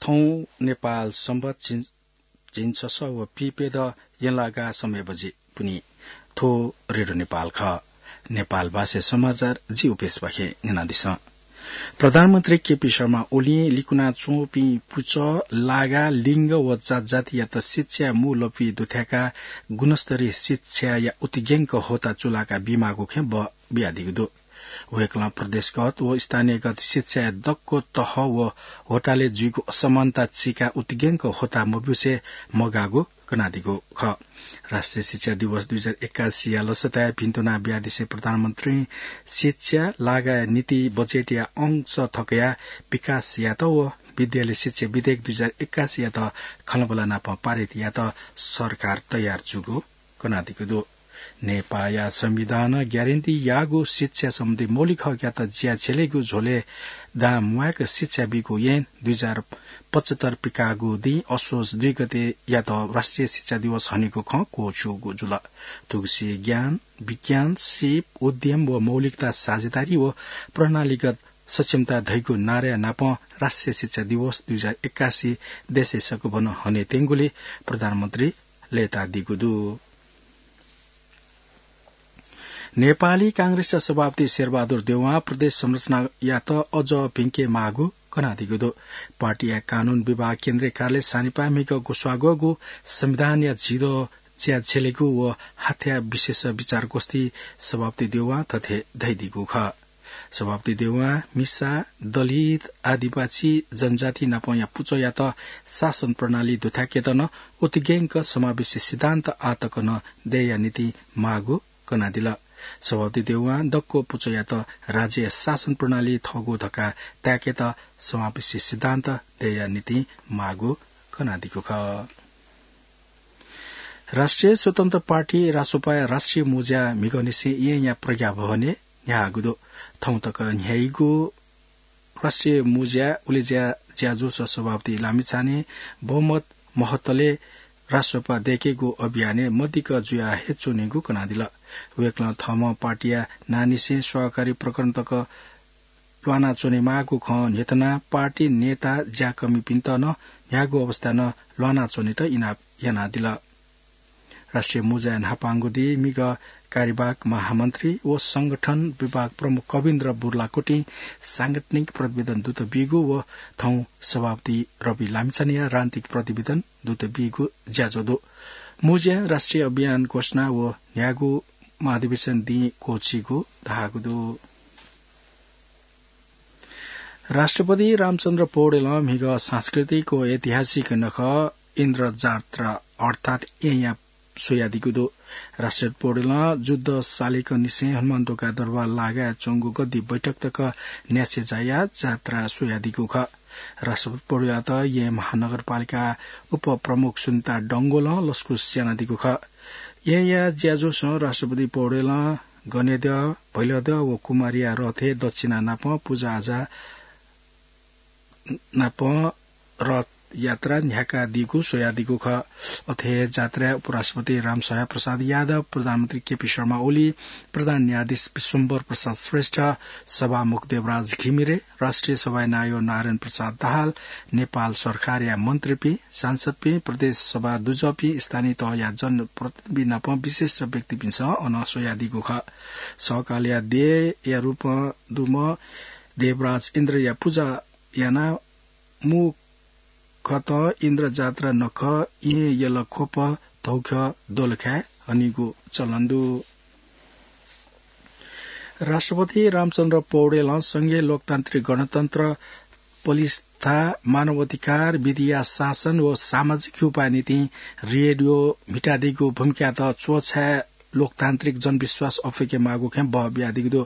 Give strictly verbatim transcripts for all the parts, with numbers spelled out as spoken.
थौं नेपाल संवत झिंछसः व पीप्यदँ यंलागा समय बजि पुनि। थ्व रेडियो नेपाल खः। नेपाल भाषाय् समाचार जि उपेशपाखें न्यनादिसँ। प्रधानमन्त्री केपी शर्मा ओलीं लिकुना च्वंपिं पुचः, लागा, लिंग व जातजातियात शिक्षाय् मू लँपुइ दुथ्याकाः गुणस्तरीय शिक्षाया उतिग्यंक होता चुलाका बीमाःगु खँ ब-, बियादीगु दु। वय्कलं प्रदेशगत व स्थानीयगत शिक्षाया दक्व तह व होटाले जुइगु असमानता चिकाः उतिग्यंक होता मब्यूसे मगाःगु कनादीगु खः। राष्ट्रिय शिक्षा दिवस दुई हजार एक्कासीया लसताय् भिन्तुना बियादिसे प्रधानमन्त्रीं शिक्षा, लागाया निंतिं बजेटया अंश थकयाः विकास यात व विद्यालय शिक्षा विधेयक दुई हजार एक्कासीयात खँल्हाबल्हा नाप पारित यात सरकार तयार जूगु कनादीगु दु। नेपाःया संविधानं ग्यारेन्टी याःगु शिक्षा सम्बन्धी मौलिक हकयात ज्या झेलेगु झ्वलय् दां म्वायेक शिक्षा बीगु ऐन दुई हजार पचहत्तर पिकाःगु दिं असोज दुई गतेयात राष्ट्रिय शिक्षा दिवस हनेगु खँ क्वःछ्यूगु जुल। थुगुसी ज्ञान, विज्ञान, सीप, उद्यम व मौलिकता साझेदारी व प्रणालीगत सक्षमता धइगु नाराया नाप राष्ट्रिय शिक्षा दिवस दुई हजार एक्कासी देशय् सकभनं हनेत्यंगुली प्रधानमन्त्री लय्तादीगु दु। नेपाली कांग्रेसया सभापति शेरबहादुर देउवां प्रदेश संरचनायात अझ भिंके माःगु कनादीगु दु। पार्टीया कानून विभाग केन्द्रीय कार्यालय सानिपाय् म्हिगः ग्वसाः ग्वःगु संविधानया झिदँ ज्या झेलेगु व हाथ्या विशेष विचार गोष्ठी सभापति देउवां थथे धयादीगु खः। सभापति देउवां मिसा, दलित, आदिवासी जनजाति नापंया पुचःयात शासन प्रणाली दुथ्याकेत नं उतिग्यंक समावेशी सिद्धान्त आःतक नं दयेया निंतिं माःगु कनादिल। सभापति देउवां दक्व पुचःयात राज्यया शासन प्रणाली थःगु धकाः ताय्केत समावेशी सिद्धान्त दयेया निंतिं माःगु कनादीगु खः। राष्ट्रिय स्वतन्त्र पार्टी रासोपाया राष्ट्रिय मुँज्या म्हिगःनिसें येँया प्रज्ञा भवनय् न्ह्याःगु दु। थौं तक न्ह्याइगु राष्ट्रिय मुँज्या उलेज्या ज्याझ्वलय् सभापति लामिछाने बहुमत महत्तले रासोपा दय्केगु अभियानय् मदिक्क जुया हे च्वनेगु कनादिल। वय्कलं थःम्हं पार्टीया नांनिसें सहकारी प्रकरण तक ल्वानाच्वनेमाःगु खँ न्ह्यथनाः पार्टी नेता ज्याकःमिपिन्त नं न्ह्याःगु अवस्थाय् नं ल्वानाच्वनेत इनाप यानादिल। राष्ट्रिय मुँज्याया न्हापांगु दिं म्हिगः कार्यवाहक महामन्त्री व संगठन विभाग प्रमुख कविन्द्र बुर्लाकोटीं सांगठनिक प्रतिवेदन दुत बीगु व थौं सभापति रवि लामिछानेया राजनीतिक प्रतिवेदन दुत बीगु ज्याझ्वः दु। मुँज्यां राष्ट्रिय अभियान घोषणा व न्ह्याःगु महाधिवेशन दिं क्वःछीगु धाःगु दु। राष्ट्रपति रामचन्द्र पौडेलं म्हिगः सांस्कृतिक व ऐतिहासिक नखः इन्द्रजात्रा अर्थात् येँया स्वयादीगु दु। राष्ट्रपति पौडेलं जुद्ध सालेकंनिसें हनुमानढोका दरबार लागाय् च्वंगु गद्दी बैठक तक न्यासि झायाः जात्रा स्वयादीगु खः। राष्ट्रपति पौडेलयात येँ महानगरपालिका उपप्रमुख सुनिता डंगोलं लसकुस यानादीगु खः। येँया ज्याझ्वलय् राष्ट्रपति पौडेलं गनेद्यः, भैलद्यः व कुमारीया रथय् दक्षिणा नाप पुजाआजा नाप रथ यात्रा न्ह्याकादीगु स्वयादीगु खः। अथे हे जात्राय् उपराष्ट्रपति रामसहाय प्रसाद यादव, प्रधानमन्त्री केपी शर्मा ओली, प्रधान न्यायाधीश विश्वम्भर प्रसाद श्रेष्ठ, सभामुख देवराज घिमिरे, राष्ट्रिय सभाया नायः नारायण प्रसाद दाहाल, नेपाल सरकारया मन्त्रीपिं, सांसदपिं, प्रदेश सभा दुजःपिं, स्थानीय तहया जनप्रतिनिधि नाप विशिष्ट व्यक्तिपिन्सं अन स्वयादीगु खः। सकलया देय्‌या रूपं दुम्ह देवराज इन्द्रया पुजा यानाः मू खतं इन्द्रजात्रा नखः येँ यलख्वप धौख्यः दोलखाय् हनीगु चलन दु। राष्ट्रपति रामचन्द्र पौडेलं संघीय लोकतान्त्रिक गणतन्त्र, पलिस्था, मानव अधिकार, विधिया शासन व सामाजिक उपाय निंतिं रेडियो म्हितादीगु भूमिकायात च्वछाय् लोकतान्त्रिक जनविश्वास अप्वय्के माःगु खँ बः बियादीगु दु।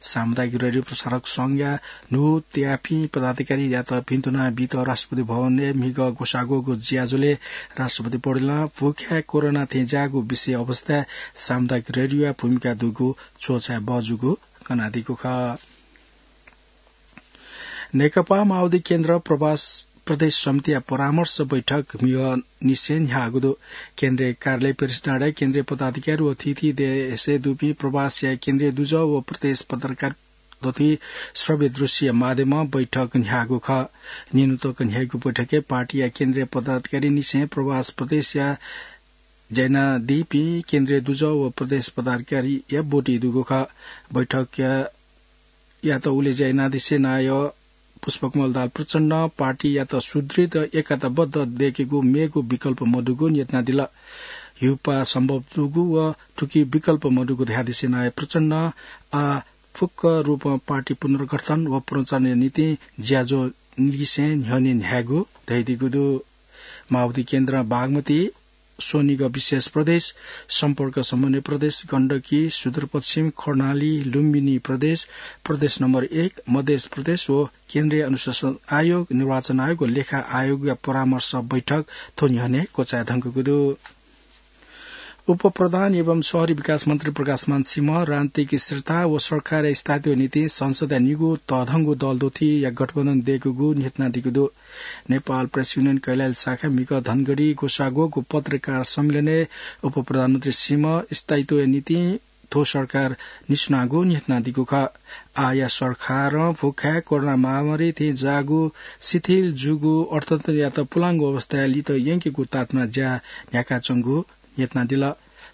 सामुदायिक रेडियो प्रसारक संघया न्हूदयापिं पदाधिकारीयात भिन्तुना बीत राष्ट्रपति भवनय् म्हिगः ग्वसाः ग्वःगु ज्याझ्वलय् राष्ट्रपति पौडेलं भूखाय् कोरोना थें ज्याःगु विषय अवस्थाय् सामुदायिक रेडियोया भूमिका दुगु च्वछाय् बः जूगु कनादीगु खः। नेकपा माओवादी केन्द्र प्रवास प्रदेश समितिया परामर्श बैठक म्हिगःनिसें न्ह्याःगु दु। केन्द्रीय कार्यालय पेरिसडाँडाय् केन्द्रीय पदाधिकारी व थीथी देशय् दुपिं प्रवासया केन्द्रीय दुजः व प्रदेश पत्रकार दथुइ श्रव्य दृश्य माध्यमं बैठक न्ह्याःगु खः। निन्हु तक न्ह्याइगु बैठकय् पार्टीया केन्द्रीय पदाधिकारी निसें प्रवास प्रदेशया ज्यायानादीपिं केन्द्रीय दुजः व प्रदेश पदाधिकारीया ब्वति दुगु खः। बैठकया यात उलेज्या यानादिसे नायः पुष्पकमल दाहाल प्रचण्डं पार्टीयात सुदृढ एकताबद्ध दय्केगु मेगु विकल्प मदुगु न्ह्यथनादिल। हिउपाः सम्भव दुगु व थुकी विकल्प मदुगु धयादिसे नायः प्रचण्डं आः फुक्क रूपं पार्टी पुनर्गठन व पुनर्चालनया निंतिं ज्याझ्वः लिसें न्ह्यःने न्ह्यायेगु धयादीगु दु। माओवादी केन्द्रं बागमती, स्वनिगः विशेष प्रदेश, सम्पर्क समन्वय प्रदेश, गण्डकी, सुदूरपश्चिम, कर्णाली, लुम्बिनी प्रदेश, प्रदेश नम्बर एक, मधेस प्रदेश व केन्द्रीय अनुशासन आयोग, निर्वाचन आयोग व लेखा आयोगया परामर्श बैठक थ्व न्ह्यःने क्वचाये धुंकूगु दु। उपप्रधान एवं शहरी विकास मन्त्री प्रकाशमान सिंह राजनीतिक स्थिरता व सरकारया स्थायित्वया निंतिं संसदया निगू तःधंगु दल दथुइया गठबन्धन दय्कूगु न्ह्यथनादीगु दु। नेपाल प्रेस युनियन कैलाली शाखा म्हिगः धनगढी ग्वसाः ग्वःगु पत्रकार सम्मेलनय् उपप्रधानमन्त्री सिंह स्थायित्वया निंतिं थ्व सरकार निसुनागु न्ह्यथनादीगु खः। आःया सरकारं भुखाय् कोरोना महामारी थें जाःगु शिथिल जूगु अर्थतन्त्रयात पुलांगु अवस्थाय् लित यंकेगु ताःतुना ज्या न्ह्याकाच्वंगु न्ह्यथनादिल।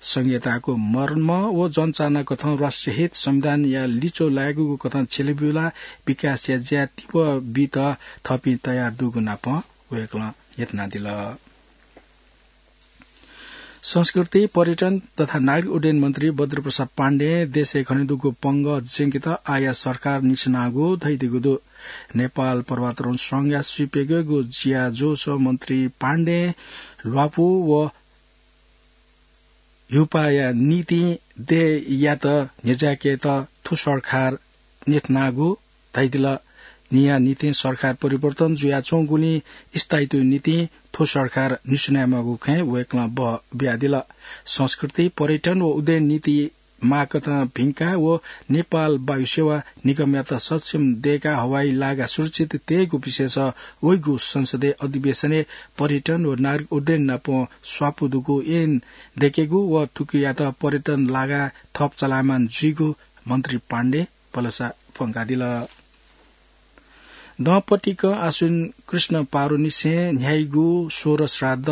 संघीयताको मर्म व जनचाहना कथं राष्ट्रिय हित संविधानया लिच्वः लायेगु कथं छ्यलेब्यूला विकासया ज्या तीव्र बीत थःपिं तयार दुगु नापं वय्कलं न्ह्यथनादिल। संस्कृति, पर्यटन तथा नागरिक उड्डयन मन्त्री बद्रप्रसाद पाण्डें देशय् खनेदुगु पंगः ज्यंकेत आःया सरकार निसुनागु धयादीगु दु। नेपाल पर्वतारोहण संघया स्वीप्यघ्यःगु ज्याझ्वलय् मन्त्री पाण्डें ल्वापु व हिउपाःया निंतिं देय्‌यात न्ह्यज्याकेत थ्व सरकार न्ह्यथनागु धयादिल। न्हिया निंतिं सरकार परिवर्तन जुयाच्वंगुलिं स्थायित्वया निंतिं थ्व सरकार निसुनायेमाःगु खँय् वय्कलं बः बियादिल। संस्कृति, पर्यटन व उड्डयन नीति माःकथं भिंकाः व नेपाल वायुसेवा निगमयात सक्षम दय्काः हवाई लागा सुरक्षित तयेगु विषयस वइगु संसदीय अधिवेशनय् पर्यटन व नागरिक उड्डयन नाप स्वापू दुगु ऐन दय्केगु व थुकियात पर्यटन लागा थप चलायमान जुइगु मन्त्री पाण्डे भलसा प्वंकादिल। दँपतिकं आश्विन कृष्ण पारुनिसें न्ह्याइगु सोह्र श्राद्ध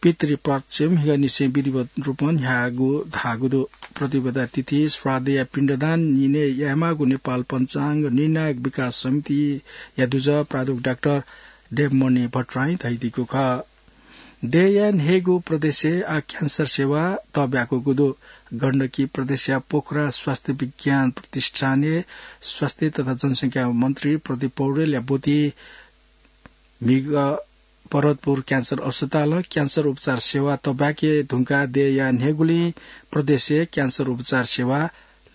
पितृपक्ष म्हिगःनिसें विधिवत रूपं न्ह्याःगु धाःगु दु। प्रतिपदा तिथि श्राद्धया पिण्डदान निने यायेमाःगु नेपाल पञ्चाङ्ग निर्णायक विकास समितिया दुजः प्राध्यापक डाक्टर देवमणि भट्टराईं धयादीगु खः। देय्‌याये न्ह्यइगु प्रदेशय् आः क्यान्सर सेवा तःब्याकूगु दु। गण्डकी प्रदेशया पोखरा स्वास्थ्य विज्ञान प्रतिष्ठानय् स्वास्थ्य तथा जनसंख्या मन्त्री प्रदीप पौडेलया ब्वति म्हिगः पर्वतपुर क्यान्सर अस्पतालं क्यान्सर उपचार सेवा तःब्याके धुंकाः देय्‌याये न्ह्यइगुलिं प्रदेशय् क्यान्सर उपचार सेवा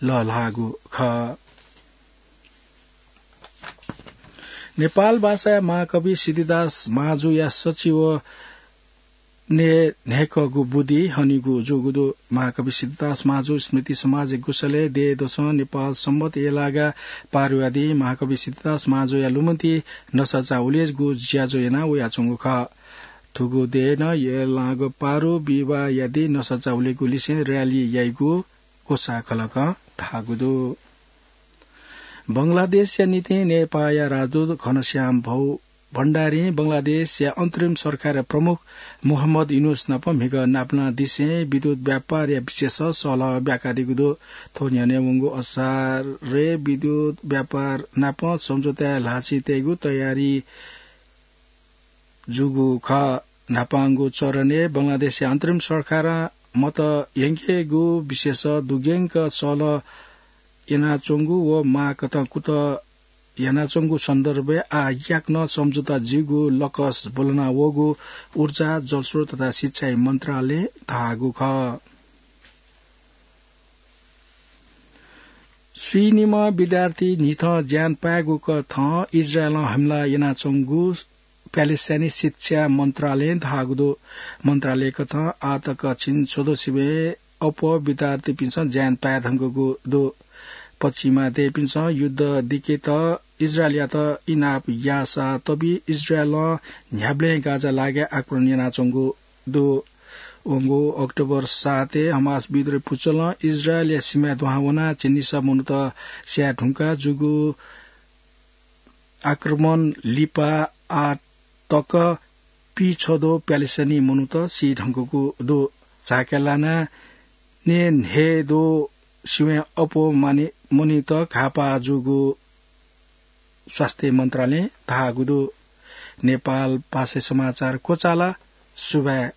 लःल्हाःगु खः। नेपाल भाषाया महाकवि सिद्धिदास महाजुया सचिवनय् न्ह्याइकःगु बुँदि हनीगु जूगु दु। महाकवि सिद्धिदास महाजु स्मृति समाजया गुँसलय् देय्‌दसं नेपाल संवत् यय्‌लागा पारुया दिं महाकवि सिद्धिदास महाजुया लुमन्ति नसाचा उलेजगु ज्याझ्वः याना वयाच्वंगु खः। थुगु देय्‌नं यय्‌लागा पारु विवाहया दिं नसाचा उलेगु लिसें र्‍याली याइगु ग्वसाः खलकं धाःगु दु। बंगलादेशया निंतिं नेपाःया राजदूत घनश्याम भौ भण्डारीं बंगलादेशया अन्तरिम सरकारया प्रमुख मोहम्मद युनुस नाप म्हिगः नापनादिसें विद्युत व्यापारया विषयस सहलह ब्याकादीगु दु। थ्व न्ह्यःने वंगु असारय् विद्युत व्यापार नाप सम्झौताय् ल्हाःछि तयेगु तयारी जूगु खः। न्हापांगु चरणय् बंगलादेशया अन्तरिम सरकारं मत यंकेगु विषयस दुग्यंक सहलह यानाच्वंगु व माःकथं कुतः यानाच्वंगु सन्दर्भय् आः याकनं सम्झौता जुइगु लकस ब्वलना वःगु ऊर्जा, जलस्रोत तथा सिँचाइ मन्त्रालयं धाःगु खः। स्वीनिम्ह विद्यार्थी न्हिथं ज्यान पायेगु कथं इजरायलं हमला यानाच्वंगु प्यालेस्टाइनी शिक्षा मन्त्रालयं धाःगु दु। मन्त्रालयकथं आःतक झिंछ्वदँसिबें अप्वः विद्यार्थीपिन्सं ज्यान पाये धुंकूगु दु। पश्चिमा देय्‌पिन्सं युद्ध दिकेत इजरायलयात इनाप याःसा तबि इजरायलं न्ह्याबलें गाजा लागाय् आक्रमण यानाच्वंगु दु। वंगु अक्टोबर सातय् हमास विद्रोही पुचलं इजरायलया सीमाय् दुहां वनाः झिंनिसः मनूत स्याये धुंकाः जूगु आक्रमण लिपा आः तक पीछ्वद्वः प्यालेस्टाइनी मनूत सी धुंकूगु दु। झाके लानाः न्येन्हेद्वः सिबें अप्वः मनूत घाःपाः जूगु स्वास्थ्य मन्त्रालयं धाःगु दु। नेपाल भाषाय् समाचार क्वचाल। सुभाय्।